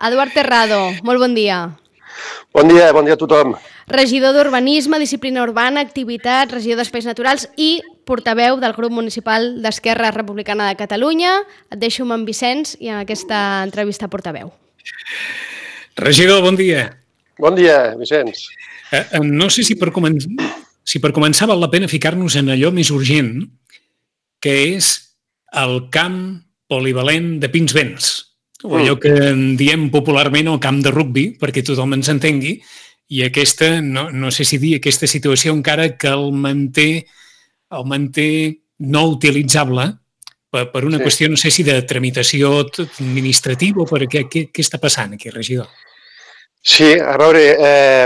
Eduard Terrado, molt bon dia. Bon dia a tothom. Regidor d'Urbanisme, Disciplina Urbana, Activitats, regidor d'Espais Naturals i portaveu del grup municipal d'Esquerra Republicana de Catalunya. Et deixo amb en Vicenç i en aquesta entrevista portaveu. Regidor, bon dia. Bon dia, Vicenç. No sé si per començar val la pena ficar-nos en allò més urgent, que és el camp polivalent de Pinsbens, o allò que en diem popularment el camp de rugbi, perquè tothom ens entengui, i aquesta, no sé si dir, aquesta situació encara que el manté no utilitzable per una qüestió, no sé si de tramitació administrativa o per què està passant aquí, regidor? Sí, a veure,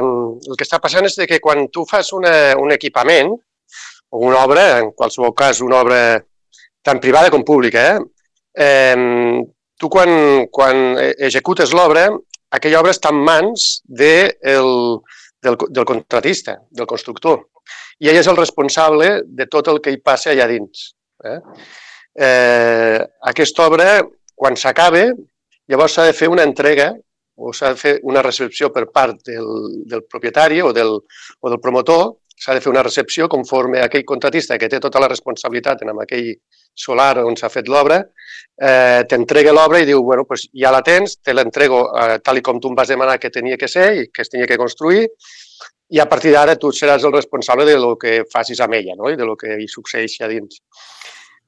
el que està passant és que quan tu fas un equipament o una obra, en qualsevol cas una obra tant privada com pública, tu quan executes l'obra, aquella obra està en mans del contratista, del constructor, i ell és el responsable de tot el que hi passa allà dins. Aquesta obra, quan s'acaba, llavors s'ha de fer una entrega o s'ha de fer una recepció per part del propietari o del promotor, s'ha de fer una recepció conforme aquell contratista que té tota la responsabilitat en aquell solar on s'ha fet l'obra, t'entrega l'obra i diu, bueno, doncs ja la tens, te l'entrego tal com tu em vas demanar que tenia que ser i que es tenia que construir, i a partir d'ara tu seràs el responsable de lo que facis amb ella, no? I de lo que hi succeeixi a dins.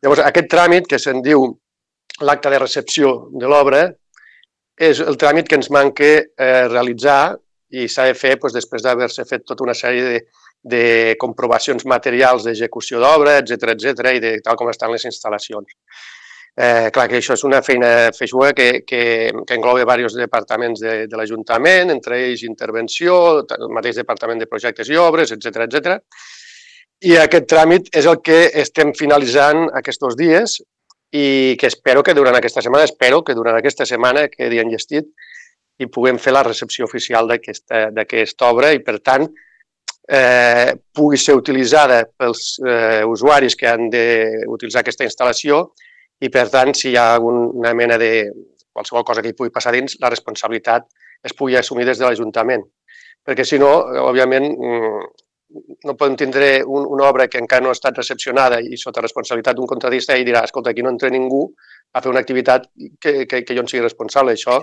Llavors, aquest tràmit que se'n diu l'acte de recepció de l'obra és el tràmit que ens manca realitzar i s'ha de fer després d'haver-se fet tota una sèrie de comprovacions materials d'execució d'obra, etcètera, i de tal com estan les instal·lacions. Clar que això és una feina feixuga que engloba diversos departaments de l'Ajuntament, entre ells intervenció, el mateix departament de projectes i obres, etcètera. I aquest tràmit és el que estem finalitzant aquests dies i que espero que durant aquesta setmana quedi enllestit i puguem fer la recepció oficial d'aquesta obra i, per tant, pugui ser utilitzada pels usuaris que han d'utilitzar aquesta instal·lació i, per tant, si hi ha alguna mena de qualsevol cosa que hi pugui passar dins, la responsabilitat es pugui assumir des de l'Ajuntament. Perquè, si no, òbviament, no podem tindre una obra que encara no ha estat recepcionada i sota responsabilitat d'un contratista i dirà, escolta, aquí no entra ningú a fer una activitat que jo en sigui responsable. Això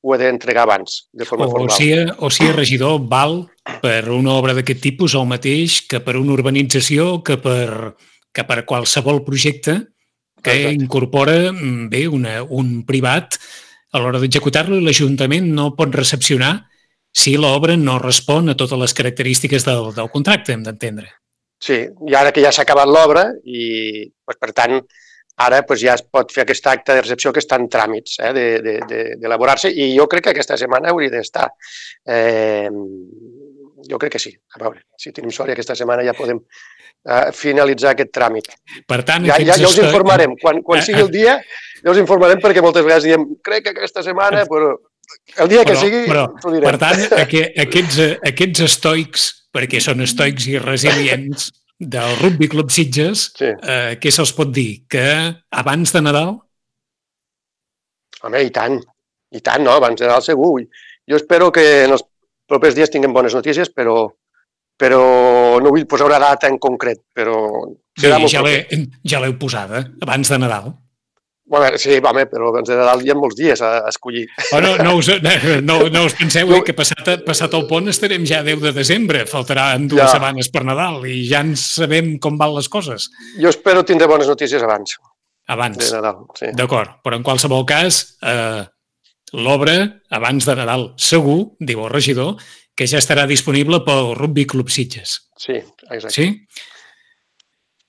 ho he d'entregar abans, de forma formal. O sigui, regidor, val per una obra d'aquest tipus el mateix que per una urbanització, que per qualsevol projecte que incorpora un privat a l'hora d'executar-lo i l'Ajuntament no pot recepcionar si l'obra no respon a totes les característiques del contracte, hem d'entendre. Sí, i ara que ja s'ha acabat l'obra i, per tant, ara ja es pot fer aquest acte de recepció que està en tràmits d'elaborar-se i jo crec que aquesta setmana hauria d'estar. Jo crec que sí. A veure, si tenim sort aquesta setmana ja podem finalitzar aquest tràmit. Per tant, ja us informarem. Quan sigui el dia, ja us informarem perquè moltes vegades diem crec que aquesta setmana, però el dia que sigui t'ho direm. Per tant, aquests estoics, perquè són estoics i resilients, del Rugby Club Sitges, què se'ls pot dir? Que abans de Nadal? Home, i tant, no? Abans de Nadal segur. Jo espero que en els propers dies tinguem bones notícies, però no vull posar una data en concret, però serà molt proper. Ja l'heu posada, abans de Nadal. Sí, però abans de Nadal hi ha molts dies a escollir. No us penseu que passat el pont estarem ja a 10 de desembre, faltaran 2 setmanes per Nadal i ja en sabem com van les coses. Jo espero tindre bones notícies abans. Abans, de Nadal, sí. D'acord, però en qualsevol cas, l'obra abans de Nadal segur, diu el regidor, que ja estarà disponible pel Rugby Club Sitges. Sí, exacte. Sí?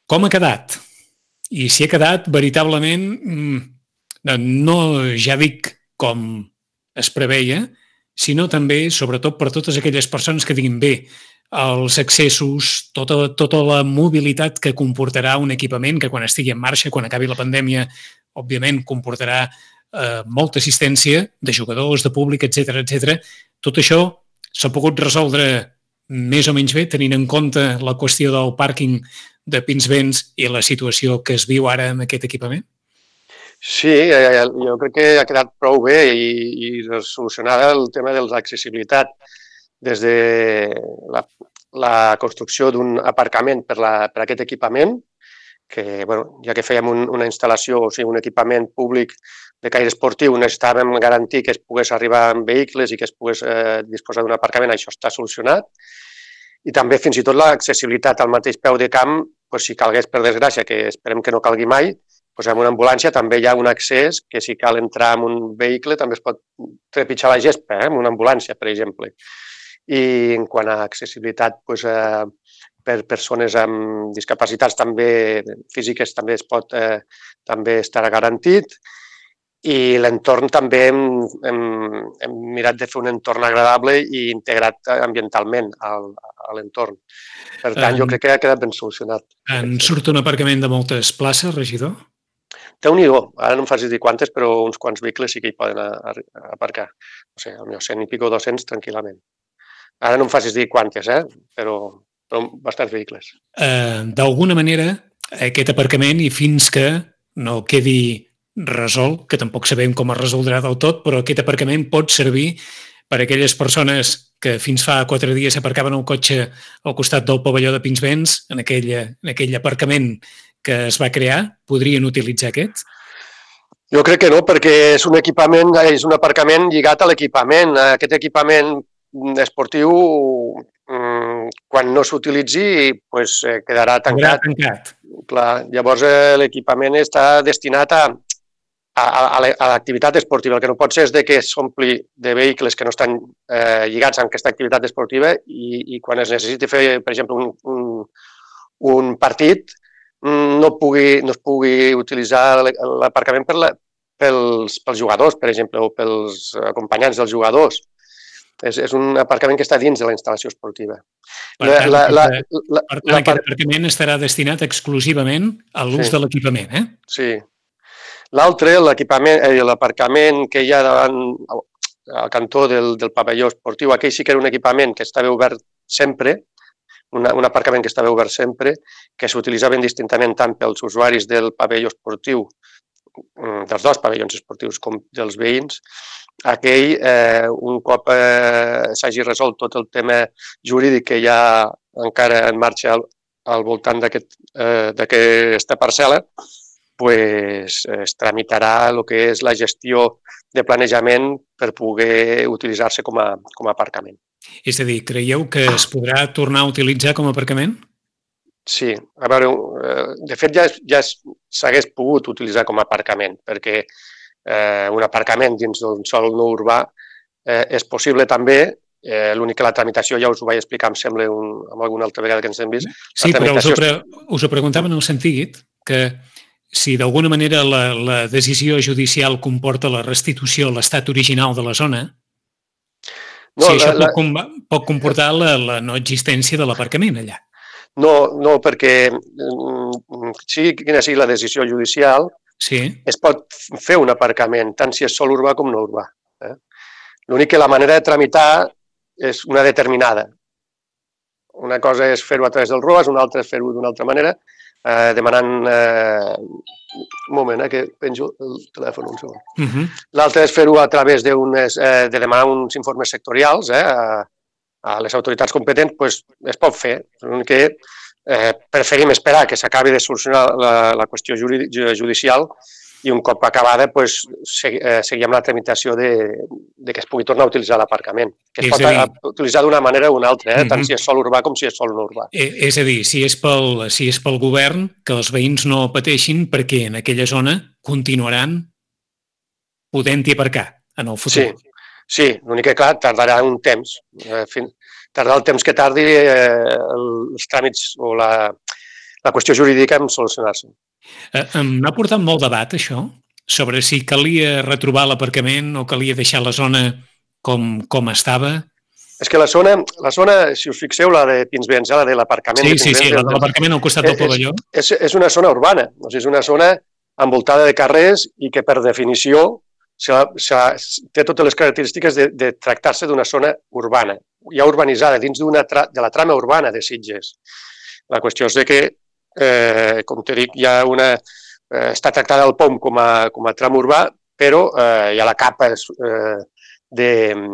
Com ha quedat? I si ha quedat veritablement, no ja dic com es preveia, sinó també, sobretot, per totes aquelles persones que diguin bé, els accessos, tota la mobilitat que comportarà un equipament que quan estigui en marxa, quan acabi la pandèmia, òbviament comportarà molta assistència de jugadors, de públic, etcètera. Tot això s'ha pogut resoldre més o menys bé, tenint en compte la qüestió del pàrquing de Pinsbens i la situació que es viu ara amb aquest equipament? Sí, jo crec que ha quedat prou bé i solucionada el tema de l'accessibilitat des de la construcció d'un aparcament per aquest equipament, que, bueno, ja que fèiem una instal·lació, o sigui, un equipament públic de caire esportiu, necessitàvem garantir que es pogués arribar amb vehicles i que es pogués disposar d'un aparcament, això està solucionat. I també fins i tot l'accessibilitat al mateix peu de camp, doncs, si calgués, per desgràcia, que esperem que no calgui mai, doncs amb una ambulància també hi ha un accés que si cal entrar en un vehicle també es pot trepitjar la gespa, amb una ambulància, per exemple. I en quant a accessibilitat, doncs, per persones amb discapacitats també físiques també es pot també estar garantit. I l'entorn també hem mirat de fer un entorn agradable i integrat ambientalment a l'entorn. Per tant, jo crec que ha quedat ben solucionat. En surt un aparcament de moltes places, regidor? Déu-n'hi-do, ara no em facis dir quantes, però uns quants vehicles sí que hi poden aparcar. No sé, potser 100 i pico 200 tranquil·lament. Ara no em facis dir quantes, però bastants vehicles. D'alguna manera, aquest aparcament, i fins que no quedi resolt, que tampoc sabem com es resoldrà del tot, però aquest aparcament pot servir per a aquelles persones que fins fa 4 dies s'aparcaven el cotxe al costat del pavelló de Pinsbens, en aquell aparcament que es va crear, podrien utilitzar aquest? Jo crec que no, perquè és un aparcament lligat a l'equipament. Aquest equipament esportiu, quan no s'utilitzi, quedarà tancat. Clar, llavors l'equipament està destinat a l'activitat esportiva. El que no pot ser és que s'ompli de vehicles que no estan lligats amb aquesta activitat esportiva i quan es necessiti fer, per exemple, un partit, no es pugui utilitzar l'aparcament pels jugadors, per exemple, o pels acompanyants dels jugadors. És un aparcament que està dins de la instal·lació esportiva. Per tant, aquest aparcament estarà destinat exclusivament a l'ús de l'equipament, Sí. L'altre, l'aparcament que hi ha davant al cantó del pavelló esportiu, aquell sí que era un equipament que estava obert sempre, un aparcament que estava obert sempre, que s'utilitzava indistintament tant pels usuaris del pavelló esportiu, dels dos pavellons esportius, com dels veïns. Aquell, un cop s'hagi resolt tot el tema jurídic que hi ha encara en marxa al voltant d'aquesta parcel·la, es tramitarà el que és la gestió de planejament per poder utilitzar-se com a aparcament. És a dir, creieu que es podrà tornar a utilitzar com a aparcament? Sí. A veure, de fet ja s'hagués pogut utilitzar com a aparcament, perquè un aparcament dins d'un sòl no urbà és possible també. L'únic que la tramitació, ja us ho vaig explicar, em sembla, amb alguna altra vegada que ens hem vist. Sí, però us ho preguntava en el sentit que si d'alguna manera la decisió judicial comporta la restitució a l'estat original de la zona, si això pot comportar la no existència de l'aparcament allà. No, perquè sigui quina sigui la decisió judicial, es pot fer un aparcament, tant si és sòl urbà com no urbà. L'únic que la manera de tramitar és una determinada. Una cosa és fer-ho a través del ROAS, una altra és fer-ho d'una altra manera, demanant... Un moment, que penjo el telèfon un segon. L'altra és fer-ho a través de demanar uns informes sectorials a les autoritats competents, es pot fer. L'únic que preferim esperar que s'acabi de solucionar la qüestió judicial i un cop acabada seguir amb la tramitació que es pugui tornar a utilitzar l'aparcament. Que es pot utilitzar d'una manera o una altra, tant si és sòl urbà com si és sòl no urbà. És a dir, si és pel govern, que els veïns no pateixin perquè en aquella zona continuaran podent-hi aparcar en el futur. Sí, l'únic que, clar, tardarà un temps. Tardarà el temps que tardi els tràmits o la qüestió jurídica en solucionar-se. M'ha portat molt debat, això, sobre si calia retrobar l'aparcament o calia deixar la zona com estava. És que la zona, si us fixeu, la de Pinsbens, la de l'aparcament... Sí, la de l'aparcament al costat del pavelló. És una zona urbana, és una zona envoltada de carrers i que, per definició, té totes les característiques de tractar-se d'una zona urbana, ja urbanitzada, dins de la trama urbana de Sitges. La qüestió és que, com t'he dit, hi ha està tractada al POM com a tram urbà, però hi ha la capa diguéssim,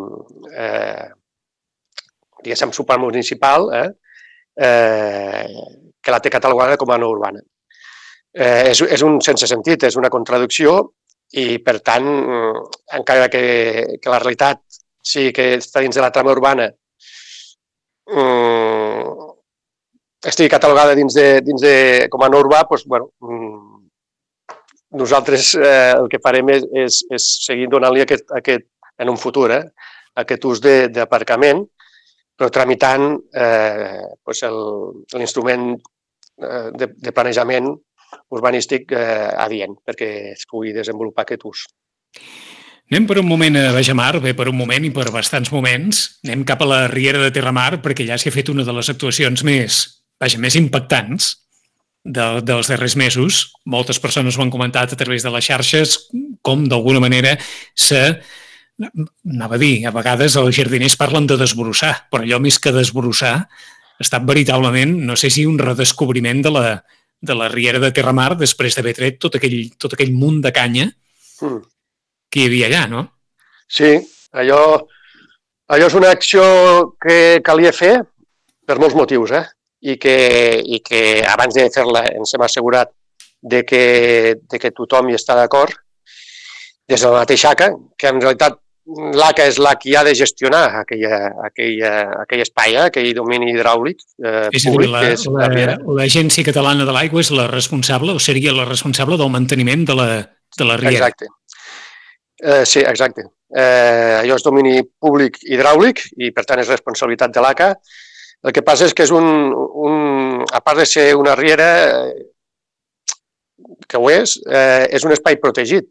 supramunicipal, que la té catalogada com a no urbana. És un sense sentit, és una contradicció i, per tant, encara que la realitat sigui que està dins de la trama urbana, estigui catalogada com a no urbà, doncs, bueno, nosaltres el que farem és seguir donant-li en un futur aquest ús d'aparcament, però tramitant l'instrument de planejament urbanístic adient perquè es pugui desenvolupar aquest ús. Anem per un moment a Bajamar, bé, per un moment i per bastants moments. Anem cap a la Riera de Terramar perquè allà s'hi ha fet una de les actuacions més impactants dels darrers mesos. Moltes persones ho han comentat a través de les xarxes, com d'alguna manera anava a dir, a vegades els jardiners parlen de desbrossar, però allò més que desbrossar ha estat veritablement, no sé si un redescobriment de la Riera de Terramar després d'haver tret tot aquell munt de canya que hi havia allà, no? Sí, allò és una acció que calia fer per molts motius, i que abans de fer-la ens hem assegurat de que tothom hi està d'acord, des de la mateixa ACA, que en realitat l'ACA és la que ha de gestionar aquell espai, aquell domini hidràulic públic. L'Agència Catalana de l'Aigua és la responsable, o seria la responsable del manteniment de la riera. Exacte. Sí, exacte. Allò és domini públic hidràulic i, per tant, és responsabilitat de l'ACA. El que passa és que és a part de ser una riera, que ho és un espai protegit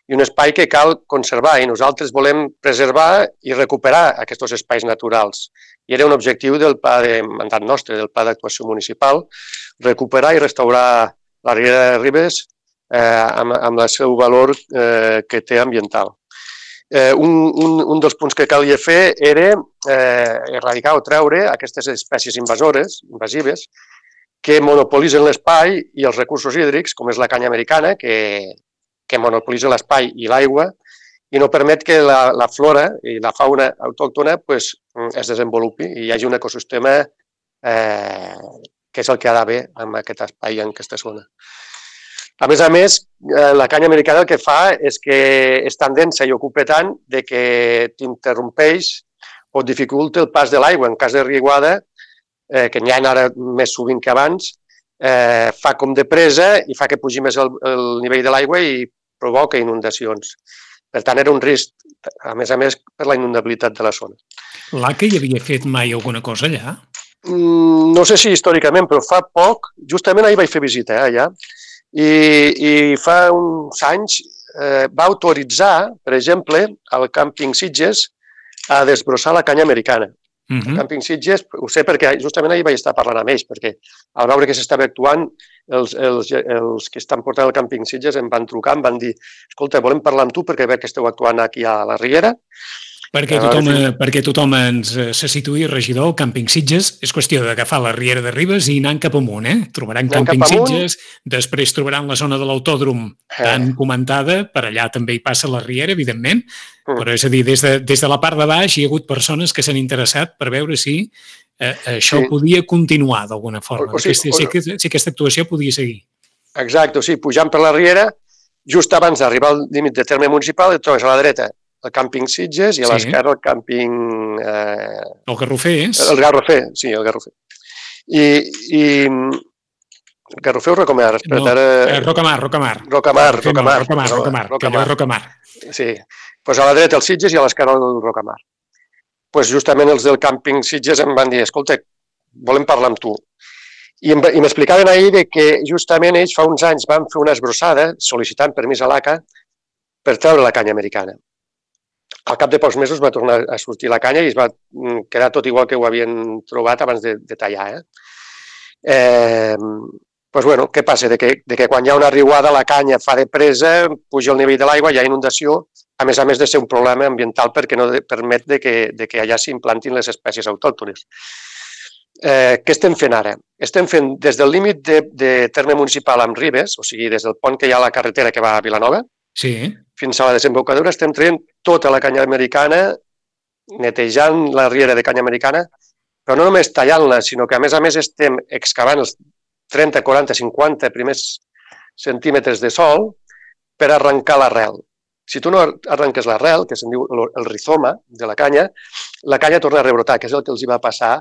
i un espai que cal conservar, i nosaltres volem preservar i recuperar aquests espais naturals. I era un objectiu del pla de mandat nostre, del pla d'actuació municipal, recuperar i restaurar la Riera de Ribes amb el seu valor que té ambiental. Un dels punts que calia fer era erradicar o treure aquestes espècies invasives que monopolitzen l'espai i els recursos hídrics, com és la canya americana, que monopolitza l'espai i l'aigua i no permet que la flora i la fauna autòctona es desenvolupi i hi hagi un ecosistema que és el que ha d'haver en aquest espai, en aquesta zona. A més, la canya americana el que fa és que és tan densa i ocupa tant que t'interrompeix o dificulta el pas de l'aigua. En cas de riuada, que n'hi ha ara més sovint que abans, fa com de presa i fa que pugi més el nivell de l'aigua i provoca inundacions. Per tant, era un risc, a més, per la inundabilitat de la zona. L'ACA hi havia fet mai alguna cosa allà? No sé si històricament, però fa poc, justament ahir vaig fer visita allà, i fa uns anys va autoritzar, per exemple, al càmping Sitges a desbrossar la canya americana. El càmping Sitges, ho sé perquè justament ahir vaig estar parlant amb ells, perquè al veure que s'estava actuant, els que estan portant el càmping Sitges em van trucar, em van dir, escolta, volem parlar amb tu perquè veig que esteu actuant aquí a la Riera. Perquè tothom ens se situï, regidor, el càmping Sitges és qüestió d'agafar la Riera de Ribes i anant cap amunt, Trobaran càmping Sitges, després trobaran la zona de l'autòdrom tan comentada, per allà també hi passa la Riera, evidentment, però és a dir, des de la part de baix hi ha hagut persones que s'han interessat per veure si això podia continuar d'alguna forma, si aquesta actuació podia seguir. Exacte, o sigui, pujant per la Riera, just abans d'arribar al límit de terme municipal, et trobes a la dreta el càmping Sitges i a l'esquerra el càmping... El Garrofer és? El Garrofer, sí, el Garrofer. I el Garrofer o Rocamar? Rocamar. Sí, doncs a la dreta el Sitges i a l'esquerra el Rocamar. Doncs justament els del càmping Sitges em van dir, escolta, volem parlar amb tu. I m'explicaven ahir que justament ells fa uns anys van fer una esbrossada sol·licitant permís a l'ACA per treure la canya americana. Al cap de pocs mesos va tornar a sortir la canya i es va quedar tot igual que ho havien trobat abans de tallar. Doncs, bueno, què passa? De que quan hi ha una riuada la canya fa de presa, puja el nivell de l'aigua, hi ha inundació, a més de ser un problema ambiental perquè no permet que allà s'implantin les espècies autòctones. Què estem fent ara? Estem fent des del límit de terme municipal amb Ribes, o sigui, des del pont que hi ha a la carretera que va a Vilanova, fins a la desembocadura, estem traient tota la canya americana, netejant la riera de canya americana, però no només tallant-la, sinó que a més estem excavant els 30, 40, 50 primers centímetres de sòl per arrencar l'arrel. Si tu no arrenques l'arrel, que se'n diu el rizoma de la canya torna a rebrotar, que és el que els hi va passar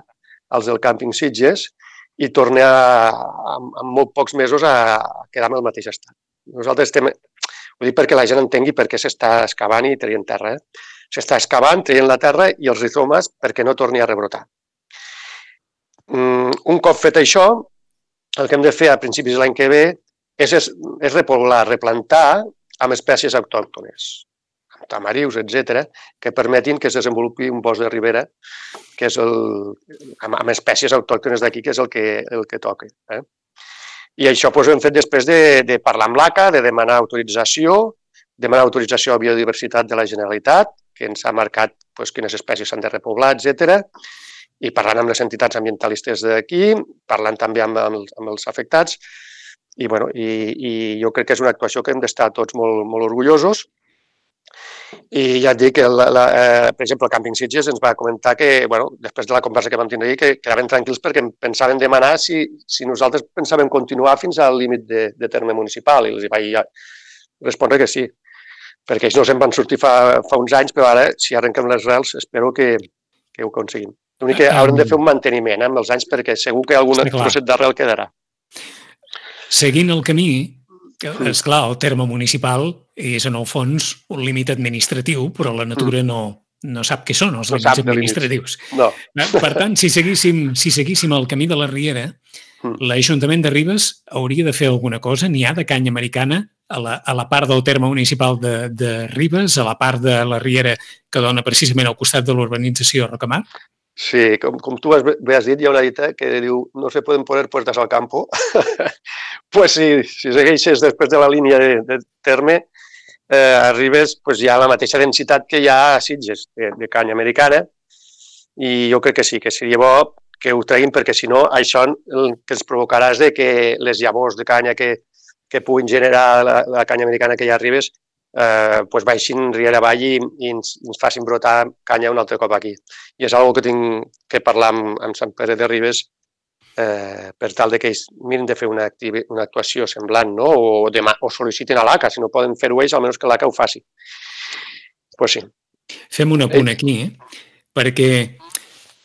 als del càmping Sitges, i torna en molt pocs mesos a quedar en el mateix estat. Nosaltres estem... Ho dic perquè la gent entengui per què s'està excavant i traient terra. S'està excavant, traient la terra i els rizomes perquè no torni a rebrotar. Un cop fet això, el que hem de fer a principis de l'any que ve és repoblar, replantar amb espècies autòctones, amb tamarius, etc., que permetin que es desenvolupi un bosc de ribera que és amb espècies autòctones d'aquí, que és el que toca. I això ho hem fet després de parlar amb l'ACA, de demanar autorització a Biodiversitat de la Generalitat, que ens ha marcat quines espècies s'han de repoblar, etc., i parlant amb les entitats ambientalistes d'aquí, parlant també amb els afectats, i jo crec que és una actuació que hem d'estar tots molt orgullosos. I ja et dic que, per exemple, el Càmping Sitges ens va comentar que, després de la conversa que vam tindre ahir, que quedaven tranquils perquè pensaven demanar si nosaltres pensàvem continuar fins al límit de terme municipal, i els vaig respondre que sí, perquè ells no se'n van sortir fa uns anys, però ara, si arrenquem les rels, espero que ho aconseguim. L'únic que haurem de fer un manteniment amb els anys, perquè segur que algun trosset d'arrel quedarà. Seguint el camí, esclar, el terme municipal és en el fons un límit administratiu, però la natura no sap què són els límits administratius. No. Per tant, si seguíssim el camí de la Riera, l'Ajuntament de Ribes hauria de fer alguna cosa. N'hi ha de canya americana a la part del terme municipal de Ribes, a la part de la Riera que dona precisament al costat de l'urbanització Rocamar? Sí, com tu bé has dit, hi ha una dita que diu no se poden poner puertas al campo. Pues sí, si segueixes després de la línia de terme, a Ribes hi ha la mateixa densitat que hi ha a Sitges, de canya americana, i jo crec que sí, que seria bo que ho treguin, perquè si no, això el que ens provocarà és que les llavors de canya que puguin generar la canya americana que hi ha a Ribes baixin riera avall i ens facin brotar canya un altre cop aquí. I és una cosa que tinc que parlar amb Sant Pere de Ribes per tal que ells mirin de fer una actuació semblant, no? O sol·licitin a l'ACA, si no poden fer-ho ells, almenys que l'ACA ho faci. Pues sí. Fem un apunt aquí, perquè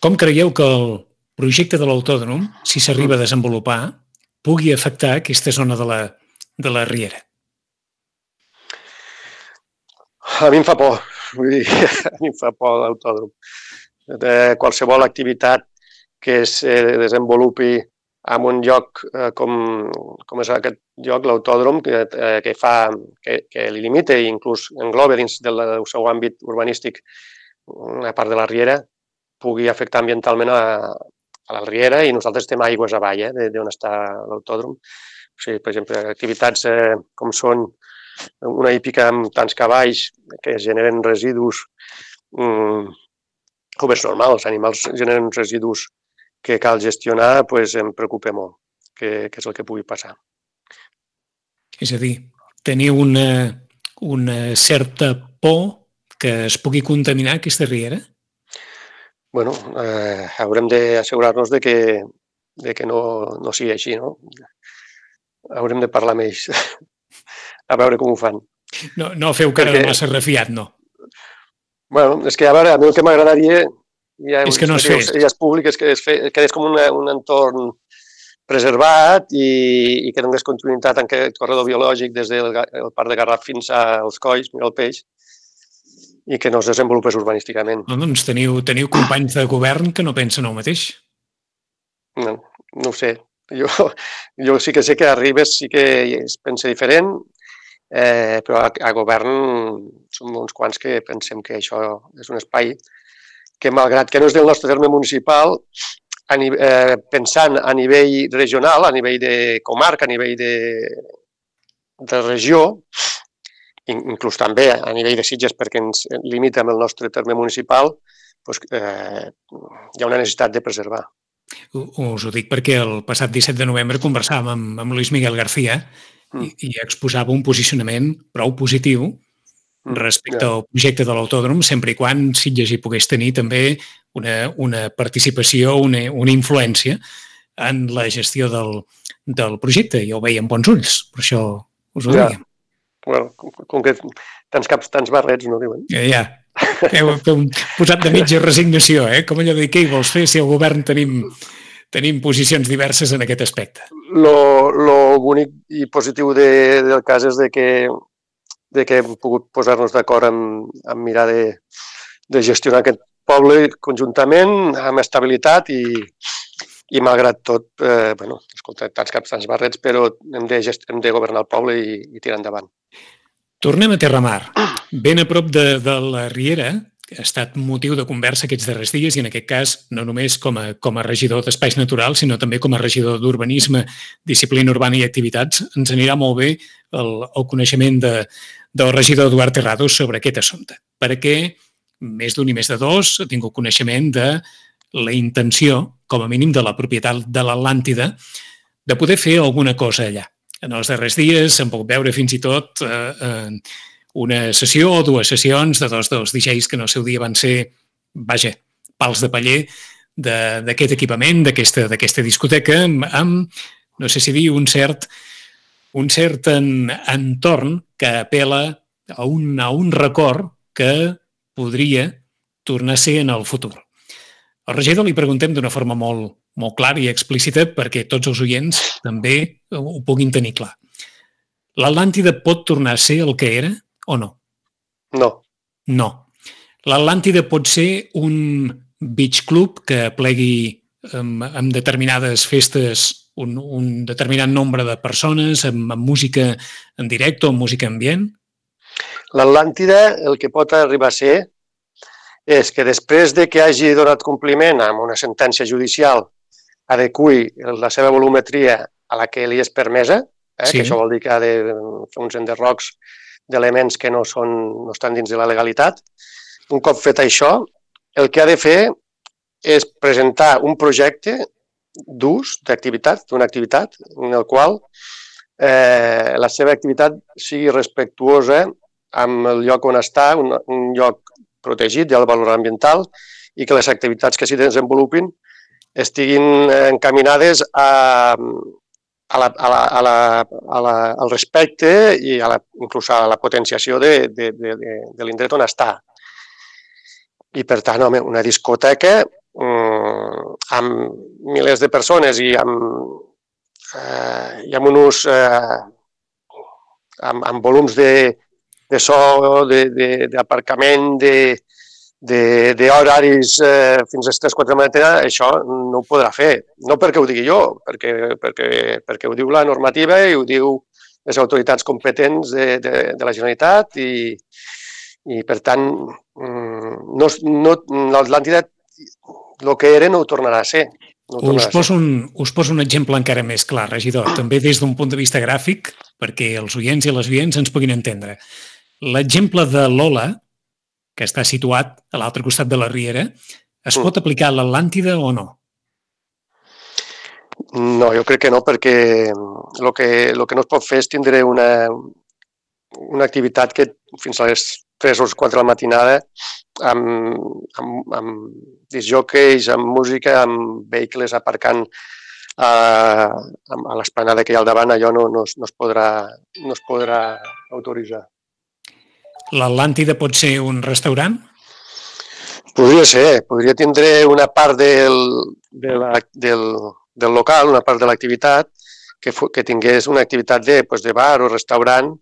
com creieu que el projecte de l'autòdrom, si s'arriba a desenvolupar, pugui afectar aquesta zona de la Riera? A mi em fa por, a mi em fa por l'autòdrom. Qualsevol activitat que es desenvolupi en un lloc com és aquest lloc, l'autòdrom, que li limita i inclús engloba dins del seu àmbit urbanístic una part de la Riera, pugui afectar ambientalment a la Riera, i nosaltres estem aigües avall d'on està l'autòdrom. O sigui, per exemple, activitats com són una hípica amb tants cavalls que generen residus, com és normal, els animals generen residus que cal gestionar, em preocupa molt, que és el que pugui passar. És a dir, teniu una certa por que es pugui contaminar aquesta riera? Bueno, haurem d'assegurar-nos de que no sigui així, no? Haurem de parlar amb ells, a veure com ho fan. No feu cara de massa refiat, no? Bueno, és que a veure, a mi el que m'agradaria és que no es fes. Ja és públic, és que quedés com un entorn preservat i que donés continuïtat en aquest corredor biològic des del Parc de Garraf fins als Colls, Mira el Peix, i que no es desenvolupés urbanísticament. No, doncs teniu companys de govern que no pensen el mateix. No ho sé. Jo sí que sé que a Ribes sí que es pensa diferent, però a govern som uns quants que pensem que això és un espai que, malgrat que no és del nostre terme municipal, pensant a nivell regional, a nivell de comarca, a nivell de regió, inclús també a nivell de Sitges, perquè ens limita amb el nostre terme municipal, hi ha una necessitat de preservar. Us ho dic perquè el passat 17 de novembre conversàvem amb Luis Miguel García i exposava un posicionament prou positiu respecte al projecte de l'autòdrom, sempre i quan Sitges hi pogués tenir també una participació, una influència en la gestió del projecte. I ho veia amb bons ulls, per això us ho dèiem. Bueno, com que tants caps, tants barrets, no diuen? Ja. Heu posat de mitja resignació, com allò de què hi vols fer si al govern tenim posicions diverses en aquest aspecte. Lo bonic i positiu del cas és de que hem pogut posar-nos d'acord en mirar de gestionar aquest poble conjuntament, amb estabilitat i malgrat tot, escolta, tants caps, tants barrets, però hem de governar el poble i tirar endavant. Tornem a Terramar. Ben a prop de la Riera, que ha estat motiu de conversa aquests darrers dies i en aquest cas no només com a regidor d'Espais Naturals, sinó també com a regidor d'Urbanisme, Disciplina Urbana i Activitats, ens anirà molt bé el coneixement del regidor Eduard Terrado sobre aquest assumpte, perquè més d'un i més de dos ha tingut coneixement de la intenció, com a mínim de la propietat de l'Atlàntida, de poder fer alguna cosa allà. En els darrers dies s'han pogut veure fins i tot una sessió o dues sessions de dos dels DJs que en el seu dia van ser, pals de paller d'aquest equipament, d'aquesta discoteca, amb, no sé si dir, un cert entorn que apela a un record que podria tornar a ser en el futur. Al regidor li preguntem d'una forma molt clara i explícita perquè tots els oients també ho puguin tenir clar. L'Atlàntida pot tornar a ser el que era o no? No. No. L'Atlàntida pot ser un beach club que plegui amb determinades festes un determinat nombre de persones, amb música en directe o amb música ambient? L'Atlàntida el que pot arribar a ser és que després de que hagi donat compliment amb una sentència judicial adequi la seva volumetria a la que li és permesa, que això vol dir que ha de fer uns enderrocs d'elements que no estan dins de la legalitat. Un cop fet això, el que ha de fer és presentar un projecte d'ús d'activitat, d'una activitat en el qual la seva activitat sigui respectuosa amb el lloc on està, un lloc protegit del valor ambiental i que les activitats que s'hi desenvolupin estiguin encaminades al respecte i inclús a la potenciació de l'indret on està. I, per tant, una discoteca amb milers de persones i amb volums de so, d'aparcament, d'horaris fins a les 3-4 de la matinada, això no ho podrà fer. No perquè ho digui jo, perquè ho diu la normativa i ho diu les autoritats competents de la Generalitat i per tant, l'Atlàntida, el que era, no ho tornarà a ser. Us poso un exemple encara més clar, regidor, també des d'un punt de vista gràfic, perquè els oients i les oients ens puguin entendre. L'exemple de l'Ola, que està situat a l'altre costat de la Riera, es pot aplicar a l'Atlàntida o no? No, jo crec que no, perquè el que no es pot fer és tindre una activitat que fins a les 3 o 4 de la matinada amb discjòqueis, amb música, amb vehicles aparcant a l'esplanada que hi ha al davant, allò no es podrà autoritzar. L'Atlàntida pot ser un restaurant? Podria ser, podria tindre una part del local, una part de l'activitat, que tingués una activitat de bar o restaurant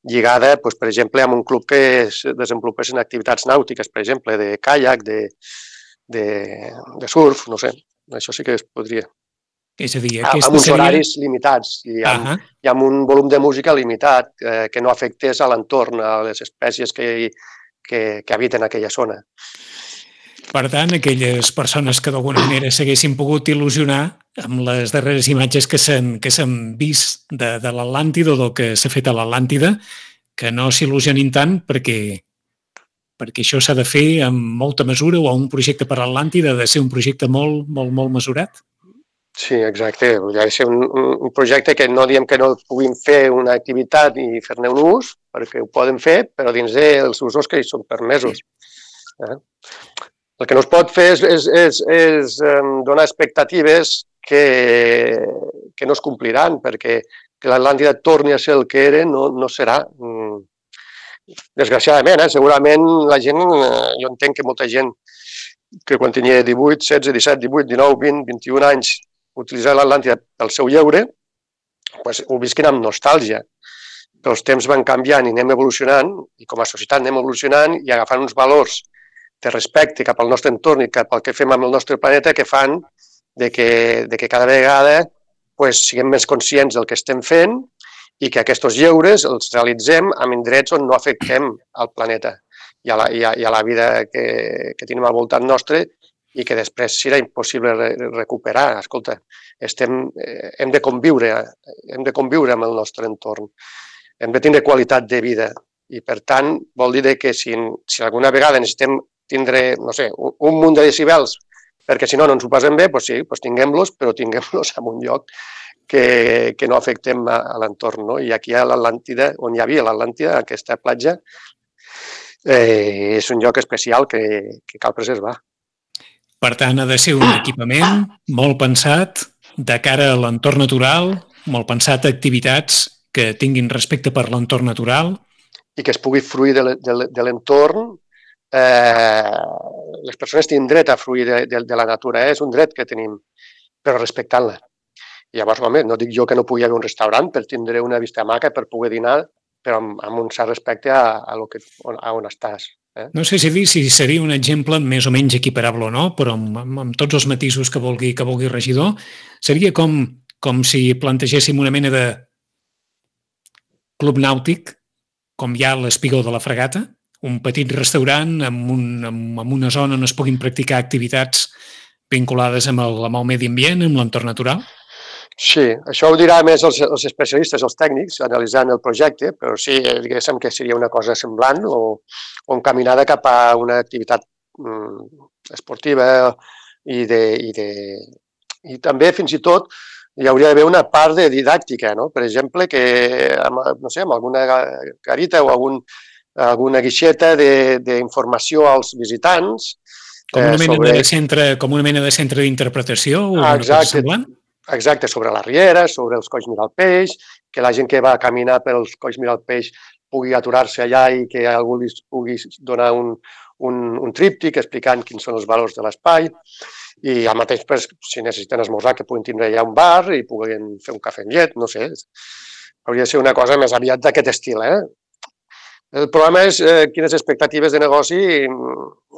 lligada, per exemple, amb un club que es desenvolupessin activitats nàutiques, per exemple, de caiac, de surf, no sé, això sí que es podria. És a dir, amb uns horaris limitats i amb un volum de música limitat que no afectés a l'entorn, a les espècies que habiten aquella zona. Per tant, aquelles persones que d'alguna manera s'haguessin pogut il·lusionar amb les darreres imatges que s'han vist de l'Atlàntida o del que s'ha fet a l'Atlàntida, que no s'il·lusionin tant perquè això s'ha de fer amb molta mesura o un projecte per a l'Atlàntida ha de ser un projecte molt, molt, molt mesurat? Sí, exacte. Ha de ser un projecte que no diem que no puguin fer una activitat i fer-ne un ús, perquè ho poden fer, però dins dels usos que hi són permesos. El que no es pot fer és donar expectatives que no es compliran, perquè que l'Atlàntida torni a ser el que era no serà. Desgraciadament, segurament la gent, jo entenc que molta gent que quan tenia 18, 16, 17, 18, 19, 20, 21 anys utilitzar l'Atlàntida pel seu lleure, doncs ho visquin amb nostàlgia. Però els temps van canviant i anem evolucionant, i com a societat anem evolucionant i agafant uns valors de respecte cap al nostre entorn i cap al que fem amb el nostre planeta que fan de que cada vegada siguem més conscients del que estem fent i que aquests lleures els realitzem en indrets on no afectem el planeta i a la vida que tenim al voltant nostre i que després serà impossible recuperar. Escolta, hem de conviure amb el nostre entorn, hem de tindre qualitat de vida i, per tant, vol dir que si alguna vegada necessitem tindre, no sé, un munt de decibels perquè si no ens ho passem bé, doncs sí, tinguem-los, però tinguem-los en un lloc que no afectem a l'entorn. No? I aquí a l'Atlàntida, on hi havia l'Atlàntida, aquesta platja, és un lloc especial que cal preservar. Per tant, ha de ser un equipament molt pensat de cara a l'entorn natural, molt pensat a activitats que tinguin respecte per l'entorn natural. I que es pugui fruir de l'entorn. Les persones tenen dret a fruir de la natura, és un dret que tenim, però respectant-la. Llavors, home, no dic jo que no pugui haver un restaurant per tindre una vista maca, per poder dinar, però amb un cert respecte a on estàs. No sé si seria un exemple més o menys equiparable o no, però amb tots els matisos que vulgui regidor, seria com si plantegéssim una mena de club nàutic, com hi ha a l'Espigó de la Fragata, un petit restaurant amb una zona on es puguin practicar activitats vinculades amb el medi ambient, amb l'entorn natural? Sí, això ho dirà més els especialistes, els tècnics, analitzant el projecte, però sí, diguéssim que seria una cosa semblant o encaminada cap a una activitat esportiva i també, fins i tot, hi hauria d'haver una part de didàctica, no? Per exemple, que no sé, amb alguna garita o alguna guixeta d'informació als visitants. Com una mena de centre d'interpretació o una cosa semblant? Exacte, sobre la riera, sobre els colls mirar el peix, que la gent que va a caminar pels colls mirar el peix pugui aturar-se allà i que algú li pugui donar un tríptic explicant quins són els valors de l'espai. I al mateix, si necessiten esmorzar, que puguin tindre allà un bar i puguin fer un cafè amb llet, no sé. Hauria de ser una cosa més aviat d'aquest estil, El problema és quines expectatives de negoci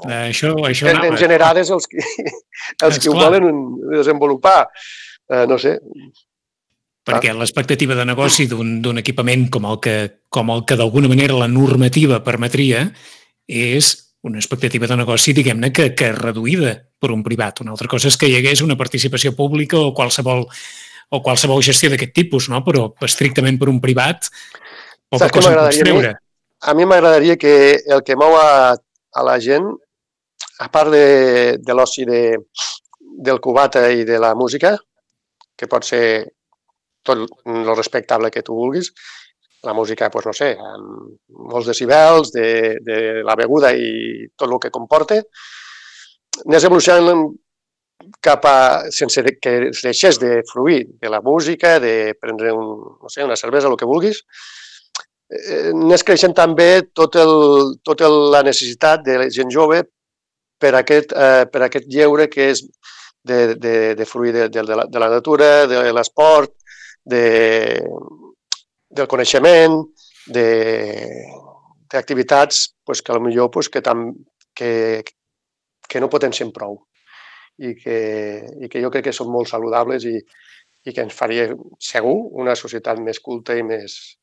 tenen generades els que ho volen desenvolupar. No sé. Perquè l'expectativa de negoci d'un equipament com el que d'alguna manera la normativa permetria és una expectativa de negoci, diguem-ne, que és reduïda per un privat. Una altra cosa és que hi hagués una participació pública o qualsevol gestió d'aquest tipus, no? Però estrictament per un privat poca cosa en pots treure. A mi m'agradaria que el que mou a la gent, a part de l'oci del cubata i de la música, que pot ser tot el respectable que tu vulguis, la música, doncs no sé, amb molts decibels, de la beguda i tot el que comporta, anés evolucionant cap a, sense que es deixés de fruir de la música, de prendre una cervesa, el que vulguis, anés creixent també tota la necessitat de la gent jove per aquest lleure que és de fruir de la natura, de l'esport, del coneixement, d'activitats que potser que no potencien prou i que jo crec que són molt saludables i que ens faria segur una societat més culta i més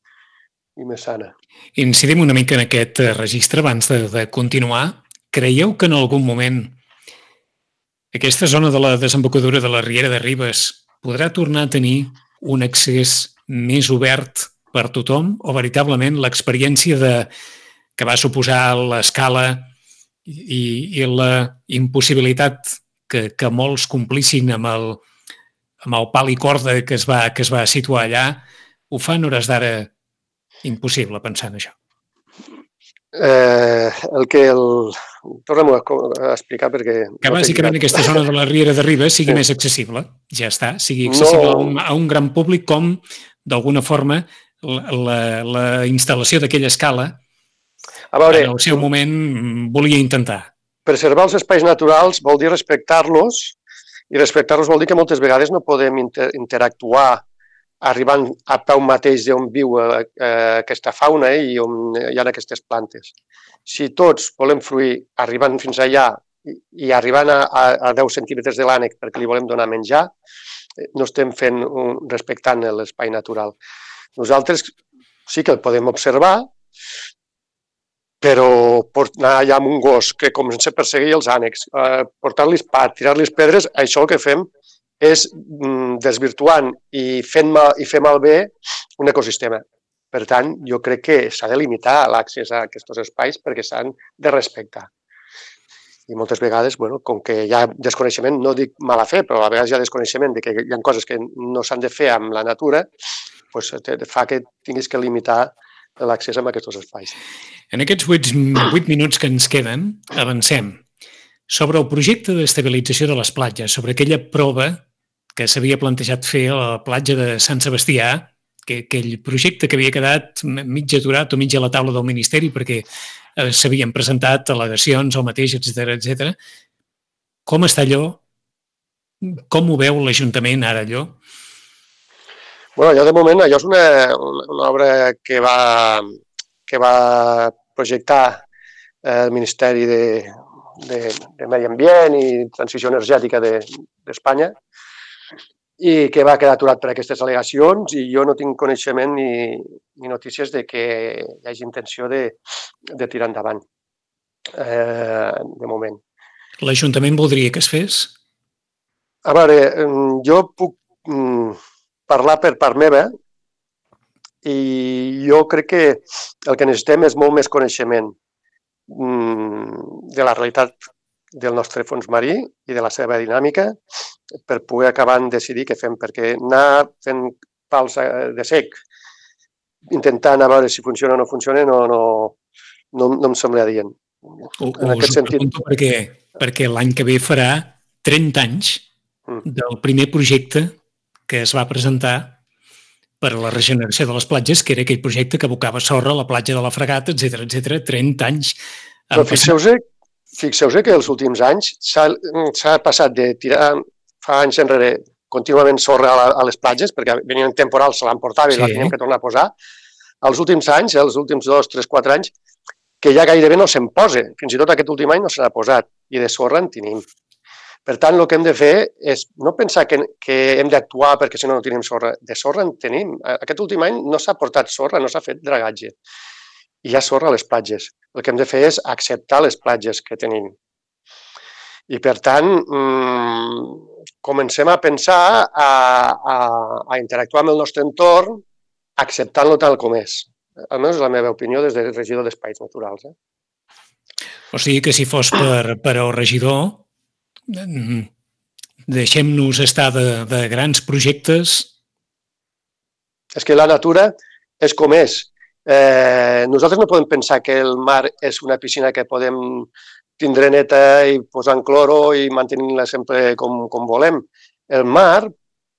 sana. Incidim una mica en aquest registre abans de continuar. Creieu que en algun moment aquesta zona de la desembocadura de la Riera de Ribes podrà tornar a tenir un accés més obert per tothom o veritablement l'experiència que va suposar l'escala i la impossibilitat que molts complissin amb amb el pal i corda que es va situar allà, ho fan hores d'ara impossible pensar en això. Torna'm a explicar perquè... Que bàsicament aquesta zona de la Riera de Ribes sigui més accessible, ja està, sigui accessible a un gran públic com, d'alguna forma, la instal·lació d'aquella escala en el seu moment volia intentar. Preservar els espais naturals vol dir respectar-los, i respectar-los vol dir que moltes vegades no podem interactuar arribant a peu mateix d'on viu aquesta fauna i on hi ha aquestes plantes. Si tots volem fruir arribant fins allà i arribant a 10 centímetres de l'ànec perquè li volem donar menjar, no estem respectant l'espai natural. Nosaltres sí que el podem observar, però anar allà amb un gos que comença a perseguir els ànecs, portar-los pa, tirar-los pedres, això el que fem és desvirtuant i fer malbé un ecosistema. Per tant, jo crec que s'ha de limitar l'accés a aquests espais perquè s'han de respectar. I moltes vegades, com que hi ha desconeixement, no dic mala fe, però a vegades hi ha desconeixement de que hi ha coses que no s'han de fer amb la natura, fa que tinguis que limitar l'accés a aquests espais. En aquests 8 minuts que ens queden, avancem sobre el projecte d'estabilització de les platges, sobre aquella prova que s'havia plantejat fer a la platja de Sant Sebastià, aquell projecte que havia quedat mig aturat o mig a la taula del Ministeri perquè s'havien presentat al·legacions al mateix, etc. Com està allò? Com ho veu l'Ajuntament ara, allò? Allò de moment, allò és una obra que va projectar el Ministeri de Medi Ambient i Transició Energètica d'Espanya i que va quedar aturat per aquestes al·legacions i jo no tinc coneixement ni notícies de que hi hagi intenció de tirar endavant, de moment. L'Ajuntament voldria que es fes? A veure, jo puc parlar per part meva i jo crec que el que necessitem és molt més coneixement de la realitat del nostre fons marí i de la seva dinàmica per poder acabar de decidir què fem, perquè anar fent pals de sec, intentant a veure si funciona o no funciona, no em sembla adient. Us ho pregunto perquè l'any que ve farà 30 anys del primer projecte que es va presentar per a la regeneració de les platges, que era aquell projecte que abocava sorra a la platja de la Fragata, etc. 30 anys. Però fixeu-vos que els últims anys s'ha passat de tirar fa anys enrere contínuament sorra a les platges, perquè venien temporals, se l'emportava i la teníem que tornar a posar. Els últims anys, els últims 2, 3, 4 anys, que ja gairebé no se'n posa. Fins i tot aquest últim any no se n'ha posat. I de sorra en tenim. Per tant, el que hem de fer és no pensar que hem d'actuar perquè si no tenim sorra. De sorra en tenim. Aquest últim any no s'ha portat sorra, no s'ha fet dragatge. I hi ha sorra a les platges. El que hem de fer és acceptar les platges que tenim. I, per tant, comencem a pensar a interactuar amb el nostre entorn acceptant-lo tal com és. Almenys és la meva opinió des del regidor d'Espais Naturals. O sigui que si fos per al regidor, deixem-nos estar de grans projectes. És que la natura és com és. Nosaltres no podem pensar que el mar és una piscina que podem tindre neta i posar en cloro i mantenir-la sempre com volem. El mar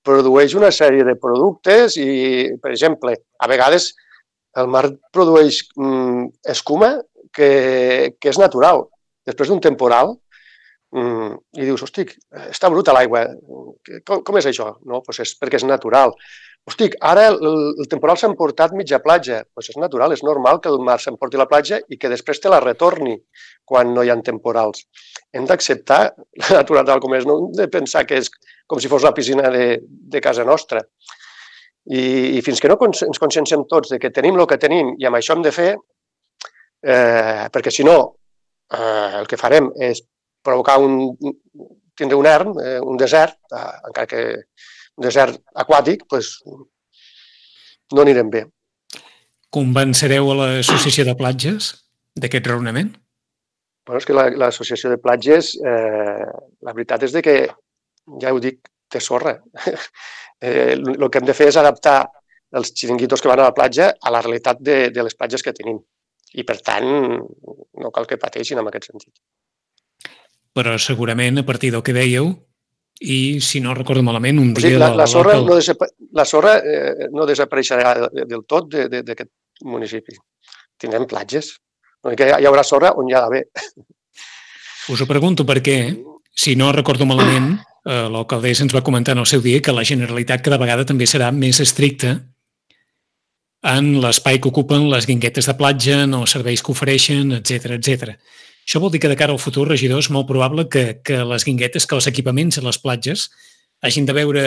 produeix una sèrie de productes i, per exemple, a vegades el mar produeix escuma que és natural. Després d'un temporal, i dius, hosti, està bruta l'aigua, com és això? No, doncs és perquè és natural. Hosti, ara el temporal s'ha emportat mitja platja, doncs és natural, és normal que el mar s'emporti la platja i que després te la retorni quan no hi ha temporals. Hem d'acceptar la natura tal com és, no hem de pensar que és com si fos la piscina de casa nostra. I fins que no ens conscienciem tots de que tenim el que tenim i amb això hem de fer, perquè si no, el que farem és provocar tindre un erm, un desert, encara que un desert aquàtic, doncs no anirem bé. Convencereu a l'Associació de Platges d'aquest raonament? Bueno, és que l'Associació de Platges, la veritat és que, ja ho dic, té sorra. El que hem de fer és adaptar els xiringuitos que van a la platja a la realitat de les platges que tenim. I, per tant, no cal que pateixin en aquest sentit. Però segurament, a partir del que dèieu, i si no recordo malament, un dia... La sorra no desapareixerà del tot d'aquest municipi. Tindrem platges. Hi haurà sorra on hi ha d'haver. Us ho pregunto perquè, si no recordo malament, l'alcaldessa ens va comentar en el seu dia que la Generalitat cada vegada també serà més estricta en l'espai que ocupen les guinguetes de platja, en els serveis que ofereixen, etc etc. Això vol dir que de cara al futur, regidor, és molt probable que les guinguetes, que els equipaments a les platges hagin de veure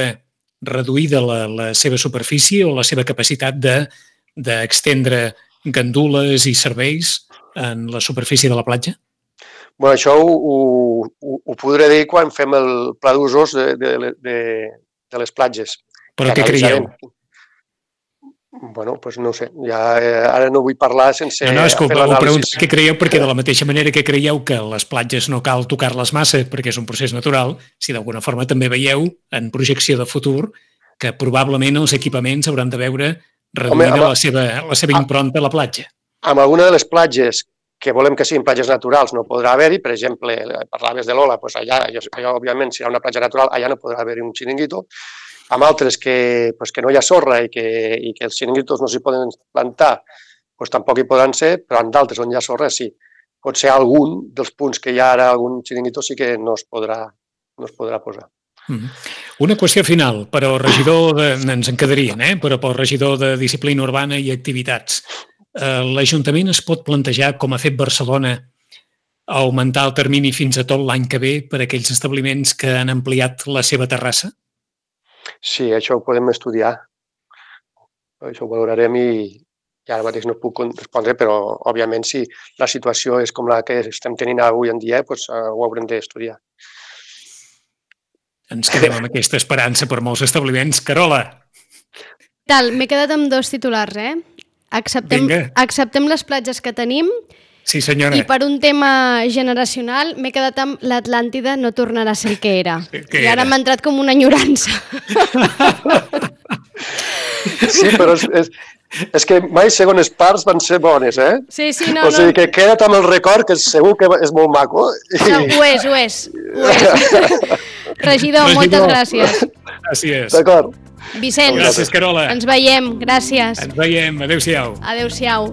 reduïda la seva superfície o la seva capacitat d'extendre gandules i serveis en la superfície de la platja? Bueno, això ho podré dir quan fem el pla d'usos de les platges. Però què creieu? Bueno, doncs no ho sé. Ara no vull parlar sense fer l'anàlisi. Ho pregunto què creieu, perquè de la mateixa manera que creieu que les platges no cal tocar-les massa perquè és un procés natural, si d'alguna forma també veieu, en projecció de futur, que probablement els equipaments hauran de veure reduïda la seva impronta a la platja. Amb alguna de les platges que volem que siguin platges naturals no podrà haver-hi, per exemple, parlaves de l'Ola, doncs allà, òbviament, si hi ha una platja natural, allà no podrà haver-hi un xiringuito. Amb altres que no hi ha sorra i que els xiringuitos no s'hi poden plantar, doncs tampoc hi podran ser, però en d'altres on hi ha sorra sí. Pot ser algun dels punts que hi ha ara, algun xiringuito sí que no es podrà posar. Una qüestió final, però regidor ens en quedarien, però pel regidor de Disciplina Urbana i Activitats. L'Ajuntament es pot plantejar, com ha fet Barcelona, augmentar el termini fins a tot l'any que ve per a aquells establiments que han ampliat la seva terrassa? Sí, això ho podem estudiar. Això ho valorarem i ara mateix no puc respondre, però, òbviament, si la situació és com la que estem tenint avui en dia, doncs ho haurem d'estudiar. Ens quedem amb aquesta esperança per molts establiments. Carola! M'he quedat amb 2 titulars, Acceptem les platges que tenim. Sí, senyora. I per un tema generacional m'he quedat amb l'Atlàntida no tornarà a ser el que era. I ara m'ha entrat com una enyorança. Sí, però és que mai segones parts van ser bones, Sí, no. O sigui que queda't amb el record, que segur que és molt maco. No, ho és. Regidor, moltes gràcies. Gràcies. D'acord. Vicenç. Gràcies, Carola. Ens veiem, gràcies. Ens veiem, adéu-siau. Adéu-siau.